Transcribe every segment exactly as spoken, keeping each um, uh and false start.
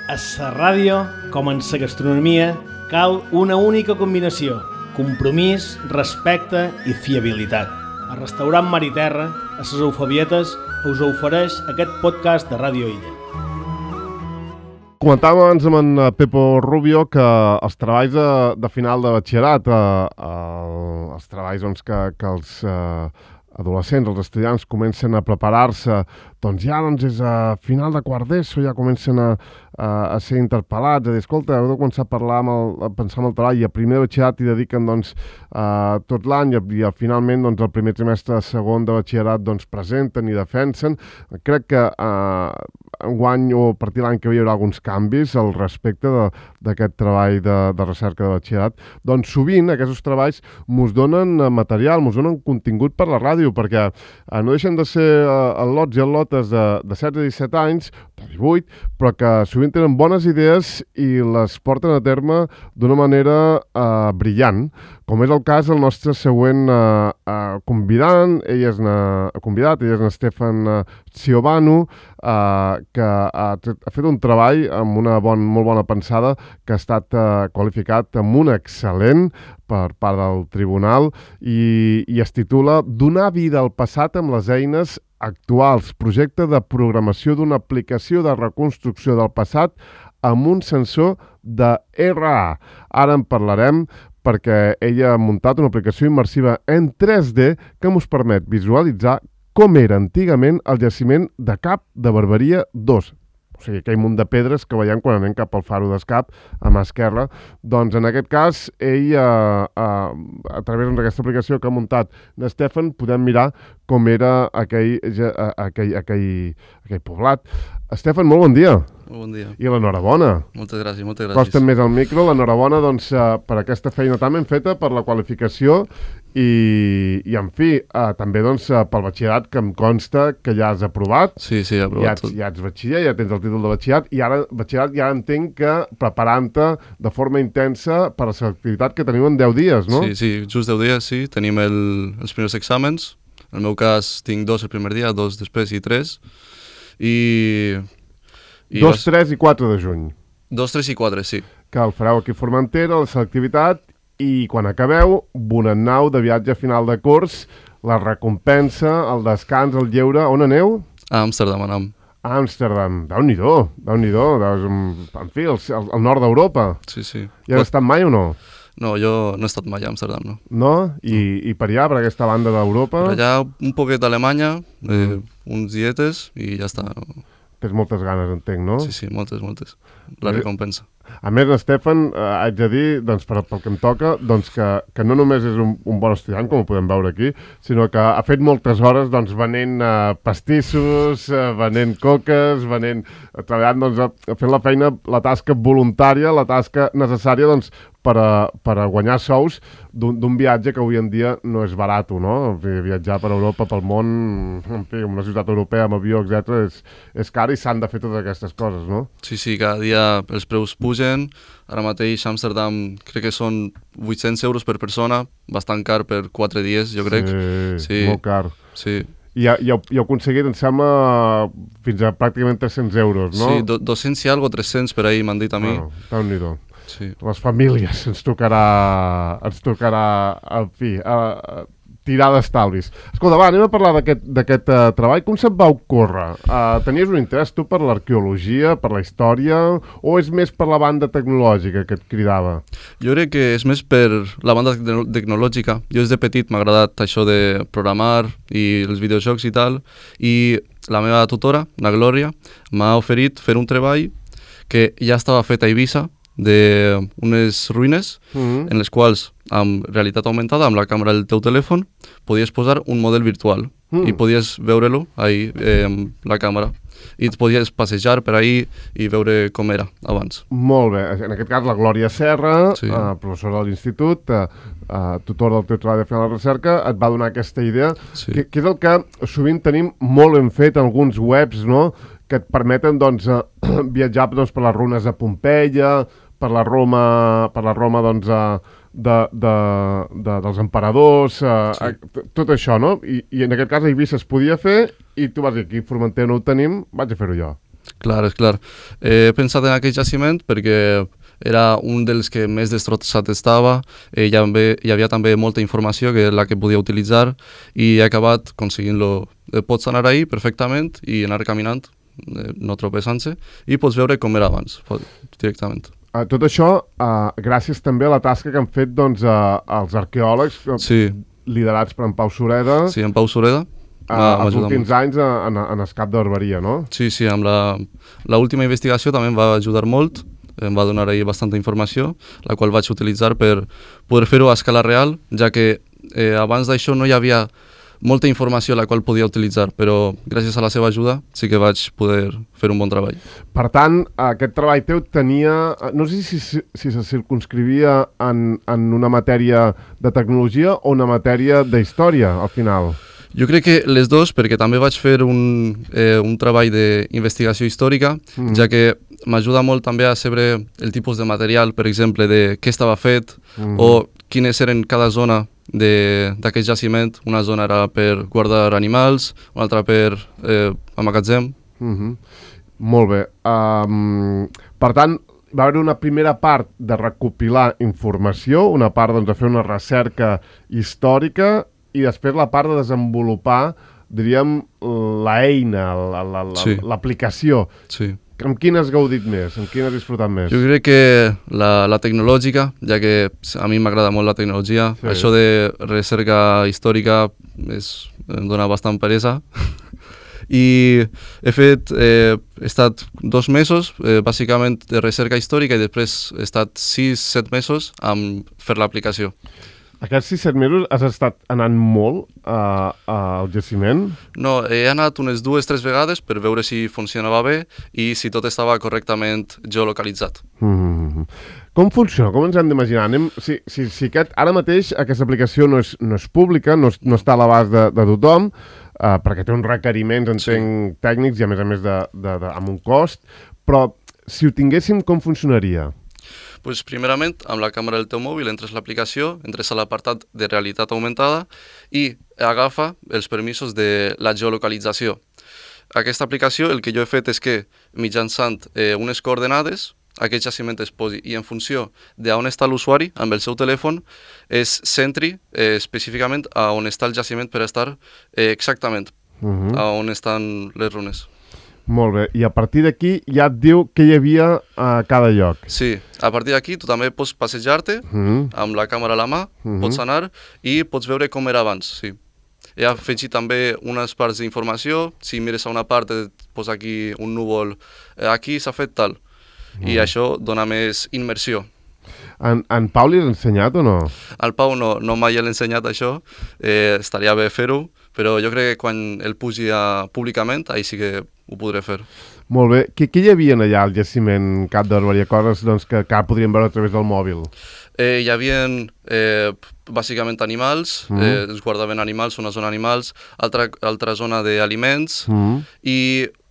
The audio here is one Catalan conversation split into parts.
A la ràdio, com en la gastronomia, cal una única combinació: compromís, respecte i fiabilitat. El restaurant Mar i Terra, a les Eufabietes, us ofereix aquest podcast de Ràdio Illa. Comentàvem abans amb en Pepo Rubio que els treballs de, de final de batxillerat, eh, eh, els treballs doncs, que, que els eh, adolescents, els estudiants comencen a preparar-se, doncs ja doncs, és a final de quart d'ESO, ja comencen a, a, a ser interpel·lats, a dir, escolta, heu de començar a parlar, amb el, a pensar en el treball, i a primer de batxillerat hi dediquen doncs, uh, tot l'any, i, i finalment doncs, el primer trimestre segon de batxillerat doncs, presenten i defensen. Crec que uh, enguany o a partir de l'any que ve hi haurà alguns canvis al respecte d'aquest treball de, de recerca de batxillerat. Doncs sovint aquests treballs mos donen material, mos donen contingut per la ràdio, perquè uh, no deixen de ser uh, lots i lotes de, de setze a disset anys, de divuit, però que sovint tenen bones idees i les porten a terme d'una manera uh, brillant, com és el cas del nostre següent uh, uh, convidant. Ell és na, convidat, ell és en Stefan uh, Ciobanu, uh, que ha, ha fet un treball amb una bon, molt bona pensada que ha estat uh, qualificat amb un excel·lent per part del tribunal i, i es titula Donar vida al passat amb les eines actuals, projecte de programació d'una aplicació de reconstrucció del passat amb un sensor de R A. Ara en parlarem perquè ella ha muntat una aplicació immersiva en tres D que ens permet visualitzar com era antigament el jaciment de Cap de Barberia dos. O sigui, aquell munt de pedres que veiem quan anem cap al faro d'Escap, a mà esquerra. Doncs en aquest cas, ell, eh, eh, a través d'aquesta aplicació que ha muntat l'Stefan, podem mirar com era aquell, aquell, aquell, aquell poblat. Stefan, molt bon dia. Molt bon dia. I l'enhorabona. Moltes gràcies, moltes gràcies. Costa més al micro, l'enhorabona doncs, uh, per aquesta feina tan ben feta, per la qualificació i, i en fi, uh, també doncs, uh, pel batxillerat, que em consta que ja has aprovat. Sí, sí, he aprovat ja ets, tot. Ja ets batxiller, ja tens el títol de batxillerat, i ara, batxillerat, ja entenc que preparant-te de forma intensa per a la selectivitat que teniu en deu dies, no? Sí, sí, just deu dies, sí. Tenim el, els primers exàmens. En el meu cas tinc dos el primer dia, dos després i tres. I... I dos, vas... tres i quatre de juny. Dos, tres i quatre, sí. Que el fareu aquí a Formentera, la selectivitat, i quan acabeu, bonanau de viatge final de curs, la recompensa, el descans, el lleure. On aneu? A Amsterdam anam. A Amsterdam. Déu-n'hi-do, Déu-n'hi-do. En fi, el, el, el nord d'Europa. Sí, sí. Hi has estat mai o no? No, jo no he estat mai a Amsterdam, no. No? I, i per allà, per aquesta banda d'Europa? Per allà un poquet d'Alemanya, eh, uns dietes i ja està. Tens moltes ganes, entenc, no? Sí, sí, moltes, moltes. La recompensa. A més, Stefan, eh, haig de dir, doncs, per, pel que em toca, doncs, que, que no només és un, un bon estudiant, com ho podem veure aquí, sinó que ha fet moltes hores doncs, venent eh, pastissos, eh, venent coques, venent, eh, treballant, doncs, fent la feina, la tasca voluntària, la tasca necessària, doncs, per a, per a guanyar sous d'un viatge que avui en dia no és barat, no? Viatjar per Europa, pel món, en fi, una ciutat europea amb avió, etcètera, és, és car i s'han de fer totes aquestes coses, no? Sí, sí, cada dia els preus pugen. Ara mateix a Amsterdam crec que són vuit-cents euros per persona, bastant car per quatre dies, jo crec. Sí, sí. molt car. Sí. I ja, ja, ja heu aconseguit, em sembla, fins a pràcticament tres-cents euros, no? Sí, do, dos-cents i algo, tres-cents per ahir m'han dit a mi. Bueno, Déu-n'hi-do. Sí. Les famílies ens tocarà, ens tocarà, en fi, a, a tirar d'estalvis. Escolta, va, anem a parlar d'aquest uh, treball. Com se't va ocórrer? Uh, tenies un interès tu per l'arqueologia, per la història, o és més per la banda tecnològica que et cridava? Jo crec que és més per la banda tecnològica. Jo des de petit m'ha agradat això de programar i els videojocs i tal, i la meva tutora, la Glòria, m'ha oferit fer un treball que ja estava fet a Eivissa, d'unes ruïnes mm-hmm. en les quals, amb realitat augmentada, amb la càmera del teu telèfon, podies posar un model virtual mm. i podies veure-lo ahí, eh, amb la càmera. I et podies passejar per ahí i veure com era abans. Molt bé. En aquest cas, la Glòria Serra, sí. eh, professora de l'institut, eh, eh, tutora del teu treball de final de recerca, et va donar aquesta idea, sí. que, que és el que sovint tenim molt ben fet en alguns webs, no?, que et permeten doncs, eh, viatjar doncs, per les runes de Pompeia, per la Roma, per la Roma doncs, eh, de, de, de, dels emperadors, eh, sí. tot això, no? I, I en aquest cas a Eivissa es podia fer i tu vas dir, aquí a Formentera no ho tenim, vaig a fer-ho jo. Clar, és clar. He pensat en aquest jaciment perquè era un dels que més destrossat estava, eh, hi, havia, hi havia també molta informació que la que podia utilitzar i he acabat conseguint-lo. Eh, pots anar ahí perfectament i anar caminant, eh, no tropezant-se, i pots veure com era abans, directament. Uh, tot això uh, gràcies també a la tasca que han fet doncs, uh, els arqueòlegs sí. liderats per en Pau Sureda. Sí, en Pau Sureda. Uh, els últims molt. anys en, en Escape de Barberia, no? Sí, sí, amb la, la última investigació també em va ajudar molt. Em va donar ahir bastanta informació, la qual vaig utilitzar per poder fer-ho a escala real, ja que eh, abans d'això no hi havia molta informació la qual podia utilitzar, però gràcies a la seva ajuda sí que vaig poder fer un bon treball. Per tant, aquest treball teu tenia... No sé si, si, si se circunscrivia en, en una matèria de tecnologia o una matèria d'història, al final. Jo crec que les dues, perquè també vaig fer un, eh, un treball d'investigació històrica, mm. ja que m'ajuda molt també a saber el tipus de material, per exemple, de què estava fet mm. o quines eren cada zona d'aquest jaciment. Una zona era per guardar animals, una altra per eh, amagatzem. Mm-hmm. Molt bé. Um, per tant, va haver una primera part de recopilar informació, una part doncs, de fer una recerca històrica i després la part de desenvolupar, diríem, l'eina, l'aplicació. Sí. Amb quina has gaudit més? Amb quina has disfrutat més? Jo crec que la, la tecnològica, ja que a mi m'agrada molt la tecnologia. Sí. Això de recerca històrica és, em dona bastant peresa. I he fet, eh, he estat dos mesos, eh, bàsicament de recerca històrica, i després he estat sis, set mesos amb fer l'aplicació. Aquests sis, set mesos has estat anant molt uh, al jaciment? No, he anat unes dues, tres vegades per veure si funcionava bé i si tot estava correctament geolocalitzat. Mm-hmm. Com funciona? Com ens hem d'imaginar? Anem... Si, si, si aquest, ara mateix aquesta aplicació no és, no és pública, no, és, no està a l'abast de, de tothom, uh, perquè té uns requeriments, entenc, sí. tècnics i a més a més de, de, de, amb un cost, però si ho tinguéssim, com funcionaria? Pues, primerament, amb la càmera del teu mòbil entres a l'aplicació, entres a l'apartat de realitat augmentada i agafa els permisos de la geolocalització. Aquesta aplicació el que jo he fet és que mitjançant eh, unes coordenades aquest jaciment es posi i en funció d'on està l'usuari amb el seu telèfon es centri eh, específicament a on està el jaciment per estar eh, exactament uh-huh. a on estan les runes. Molt bé, i a partir d'aquí ja et diu què hi havia a cada lloc. Sí, a partir d'aquí tu també pots passejar-te uh-huh. amb la càmera a la mà, uh-huh. pots anar i pots veure com era abans, sí. He afegit també unes parts d'informació, si mires a una part et posa aquí un núvol, aquí s'ha fet tal, uh-huh. i això dona més immersió. En, en Pau li has ensenyat o no? Al Pau no, no mai l'he ensenyat això, eh, estaria bé fer-ho, però jo crec que quan el pugi a, públicament, ahí sí que ho podré fer. Molt bé. Què, què hi havia allà al jaciment Cap de Barberia? Coses doncs, que, que podríem veure a través del mòbil. Eh, hi havia eh, bàsicament animals, mm. eh, es guardaven animals, una zona animals, altra, altra zona d'aliments, mm. i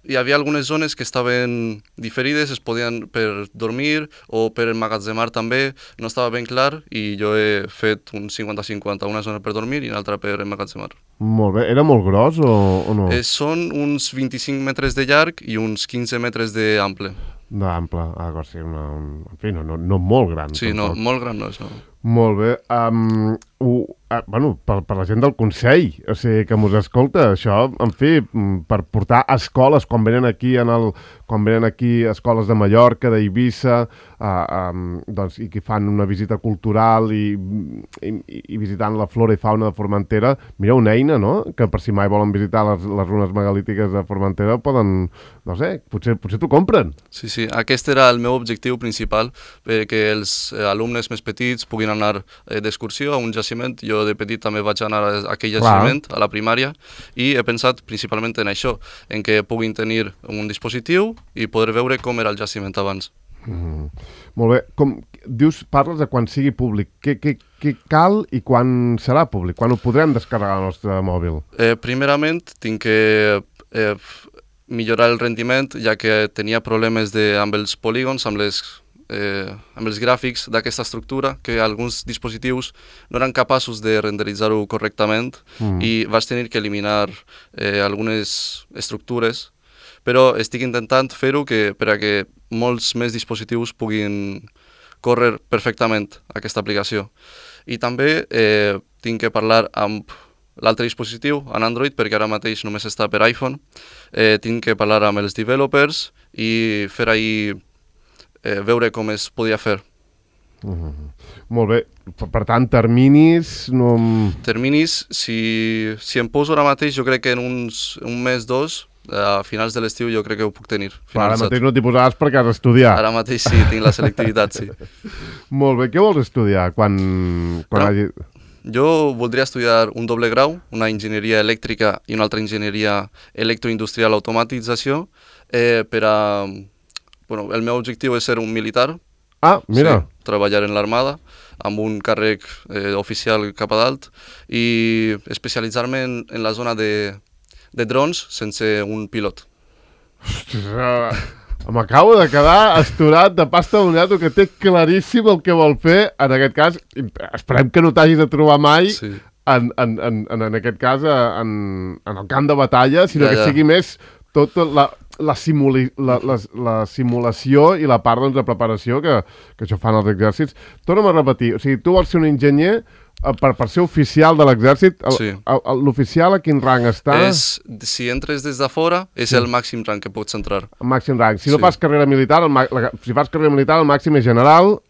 hi havia algunes zones que estaven diferides, es podien per dormir o per emmagatzemar també, no estava ben clar i jo he fet un cinquanta cinquanta, una zona per dormir i una altra per emmagatzemar. Molt bé. Era molt gros o, o no? Eh, són uns vint-i-cinc metres de llarg i uns quinze metres d'ample. D'ample, ah, o sigui, una, un, en fi, no, no, no molt gran. Sí, tampoc. no, molt gran no és, no. Molt bé. Um, uh, uh, bueno, per, per la gent del Consell, o sigui, que mos escolta, això, en fi, per portar escoles, quan venen aquí, en el, quan venen aquí escoles de Mallorca, d'Eivissa, uh, um, doncs, i que fan una visita cultural i, i, i visitant la flora i fauna de Formentera, mira, una eina, no?, que per si mai volen visitar les, les runes megalítiques de Formentera, poden, no sé, potser, potser t'ho compren. Sí, sí, aquest era el meu objectiu principal, perquè els eh, alumnes més petits puguin anar eh, d'excursió a un jaciment. Jo de petit també vaig anar a aquell jaciment, clar, a la primària, i he pensat principalment en això, en què puguin tenir un dispositiu i poder veure com era el jaciment abans. Mm. Molt bé. Com dius, parles de quan sigui públic. Què, què, què cal i quan serà públic? Quan ho podrem descarregar al nostre mòbil? Eh, primerament, tinc que eh, millorar el rendiment, ja que tenia problemes de, amb els polígons, amb les Eh, amb els gràfics d'aquesta estructura, que alguns dispositius no eren capaços de renderitzar-ho correctament mm. i vaig tenir que eliminar eh, algunes estructures però estic intentant fer-ho que, per a que molts més dispositius puguin córrer perfectament aquesta aplicació. I també eh, tinc que parlar amb l'altre dispositiu, en Android, perquè ara mateix només està per iPhone. Eh, tinc que parlar amb els developers i fer ahir eh, veure com es podia fer. Uh-huh. Molt bé. Per, per tant, terminis... No... Terminis, si, si em poso ara mateix, jo crec que en uns, un mes, dos, a finals de l'estiu jo crec que ho puc tenir. Però ara mateix no t'hi posaves perquè has d'estudiar. Ara mateix sí, tinc la selectivitat, sí. Molt bé. Què vols estudiar quan... quan no, hagi... Jo voldria estudiar un doble grau, una enginyeria elèctrica i una altra enginyeria electroindustrial automatització, eh, per a... Bueno, el meu objectiu és ser un militar. Ah, mira. Sí, treballar en l'armada, amb un càrrec eh, oficial cap a dalt, i especialitzar-me en, en la zona de, de drons sense un pilot. Ostres, uh, m'acabo de quedar estorat de pasta de moneto, que té claríssim el que vol fer. En aquest cas, esperem que no t'hagis de trobar mai, sí. en, en, en, en aquest cas, en, en el camp de batalla, sinó ja, ja. que sigui més tota la... La, simuli, la, la, la simulació i la part doncs, de preparació que, que això fan els exèrcits. Torna'm a repetir, o sigui, tu vols ser un enginyer per, per ser oficial de l'exèrcit. Sí. L'oficial a quin rang està? És, si entres des de fora, és sí. el màxim rang que pots entrar. El màxim rang. Si sí. no fas carrera militar, el, la, si fas carrera militar, el màxim és general,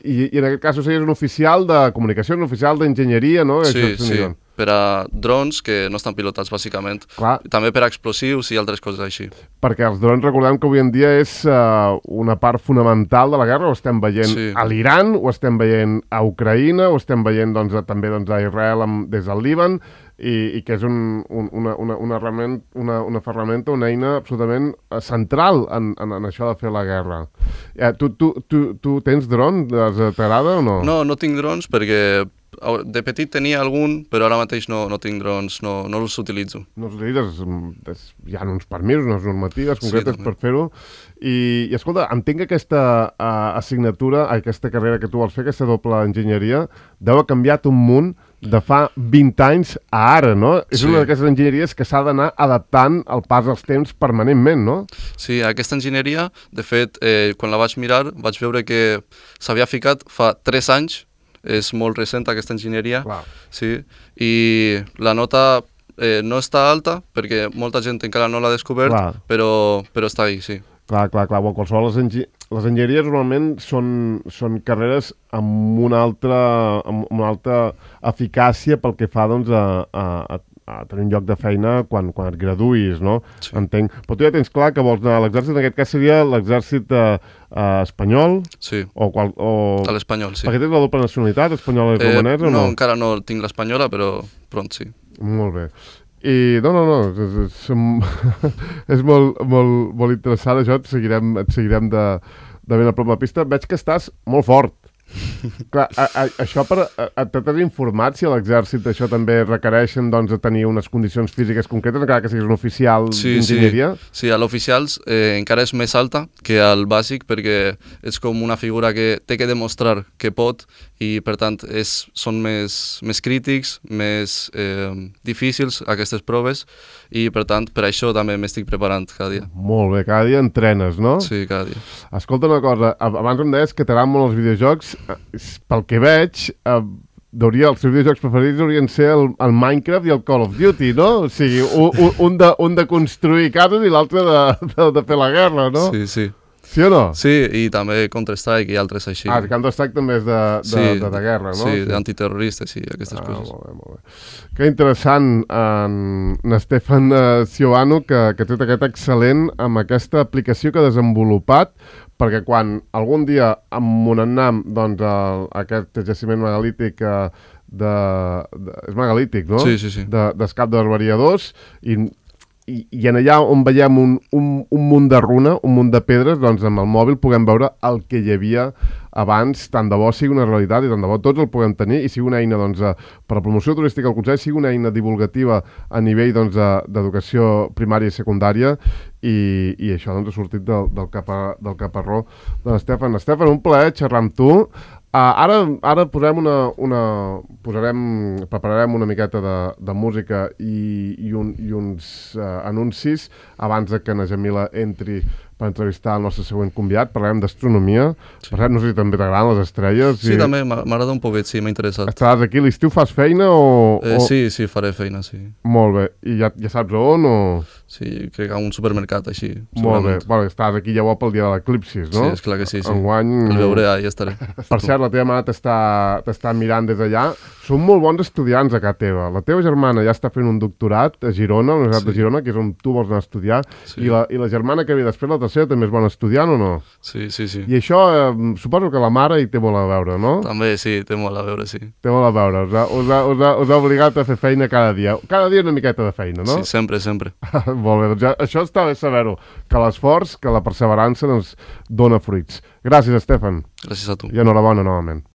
i, i en aquest cas series un oficial de comunicació, un oficial d'enginyeria, no? Sí, això sí. Per a drons que no estan pilotats, bàsicament. Clar. També per a explosius i altres coses així. Perquè els drons, recordem que avui en dia és uh, una part fonamental de la guerra. Ho estem veient sí. a l'Iran, ho estem veient a Ucraïna, ho estem veient doncs, a, també doncs, a Israel amb, des del Líban, i, i que és un, un, una, una, una, una, una ferramenta, una eina absolutament central en, en, en això de fer la guerra. Eh, tu, tu, tu, tu tens drons? T'agrada o no? No, no tinc drons perquè... De petit tenia algun, però ara mateix no, no tinc drons, no, no els utilitzo. No els utilitzes? Hi ha uns permisos, unes normatives concretes sí, per fer-ho. I, I escolta, entenc que aquesta uh, assignatura, aquesta carrera que tu vols fer, aquesta doble enginyeria, deu ha canviat un munt de fa vint anys a ara, no? És sí. una d'aquestes enginyeries que s'ha d'anar adaptant al pas dels temps permanentment, no? Sí, aquesta enginyeria, de fet, eh, quan la vaig mirar, vaig veure que s'havia ficat fa tres anys. És molt recent aquesta enginyeria, wow. sí, i la nota eh, no està alta perquè molta gent encara no l'ha descobert, wow. però, però està ahí, sí. Clar, clar, clar. Bueno, qualsevol les, engi les enginyeries normalment són, són carreres amb una altra, amb una altra eficàcia pel que fa doncs, a, a, a tenir un lloc de feina quan, quan et graduïs, no? Sí. Entenc. Però tu ja tens clar que vols anar a l'exèrcit, en aquest cas seria l'exèrcit eh, eh, espanyol? Sí, o qual, o... a l'espanyol, sí. Perquè tens la doble nacionalitat, espanyola i eh, romanesa, o no? No, encara no tinc l'espanyola, però pront sí. Molt bé. I no, no, no, és, és, és molt, molt, molt interessant això, et seguirem, et seguirem de, de ben a prop la pista. Veig que estàs molt fort. Clar, a, a, això per... T'has informat si a l'exèrcit això també requereixen doncs, tenir unes condicions físiques concretes, encara que siguis un oficial sí, d'enginyeria? Sí, sí, a l'oficials eh, encara és més alta que al bàsic perquè és com una figura que té que demostrar que pot i per tant és, són més, més crítics, més eh, difícils aquestes proves i per tant per això també m'estic preparant cada dia. Molt bé, cada dia entrenes, no? Sí, cada dia. Escolta una cosa, abans em deies que t'agraden molt els videojocs. Pel que veig, eh, hauria, els seus videojocs preferits haurien ser el, el Minecraft i el Call of Duty, no? O sigui, un, un, de, un de construir cases i l'altre de, de, de fer la guerra, no? Sí, sí. Sí o no? Sí, i també Counter-Strike i altres així. Ah, Counter-Strike també és de, de, sí, de, de guerra, no? Sí, sí. D'antiterroristes i aquestes ah, coses. Molt bé, molt bé. Que interessant, en, en Stefan uh, Ciobanu, que, que té aquest excel·lent amb aquesta aplicació que ha desenvolupat, perquè quan algun dia amb Monannam, doncs, el, aquest jaciment megalític uh, de, de... és megalític, no? Sí, sí, sí. De, d'Escap de Barbariadors, i... I, i en allà on veiem un, un, un munt de runa, un munt de pedres, doncs amb el mòbil puguem veure el que hi havia abans, tant de bo sigui una realitat i tant de bo tots el puguem tenir i sigui una eina doncs, per a la promoció turística al Consell, sigui una eina divulgativa a nivell doncs, d'educació primària i secundària i, i això doncs, ha sortit del, del, capa, del caparró de l'Estefan. Estefan, un plaer xerrar amb tu. Uh, ara ara posarem una, una, posarem, prepararem una miqueta de, de música i, i, un, i uns uh, anuncis abans de que na Jamila entri per entrevistar el nostre següent convidat. Parlarem d'astronomia. Sí. Parlarem, no sé si també t'agraden les estrelles. Sí, i... també, m'agrada un poquet, sí, m'ha interessat. Estaràs aquí, l'estiu fas feina o...? Eh, o... Sí, sí, faré feina, sí. Molt bé. I ja, ja saps on o...? Sí, crec que a un supermercat, així. Molt bé. Bueno, estàs aquí llavors pel dia de l'eclipsis, no? Sí, esclar que sí, sí. Enguany... El veuré, ja estaré. Per cert, la teva mare t'està mirant des d'allà. Són molt bons estudiants a casa teva. La teva germana ja està fent un doctorat a Girona, a la Universitat sí. de Girona, que és on tu vols anar a estudiar, sí. I, la, i la germana que ve després, la tercera, també és bona estudiant o no? Sí, sí, sí. I això, eh, suposo que la mare hi té molt a veure, no? També, sí, té molt a veure, sí. Té molt a veure. Us ha, us ha, us ha, us ha obligat a fer feina cada dia. Cada dia una miqueta de feina, no? Sí, sempre, sempre. Molt bé, doncs ja, això està bé saber-ho, que l'esforç, que la perseverança doncs, dona fruits. Gràcies, Estefan. Gràcies a tu. I enhorabona novament.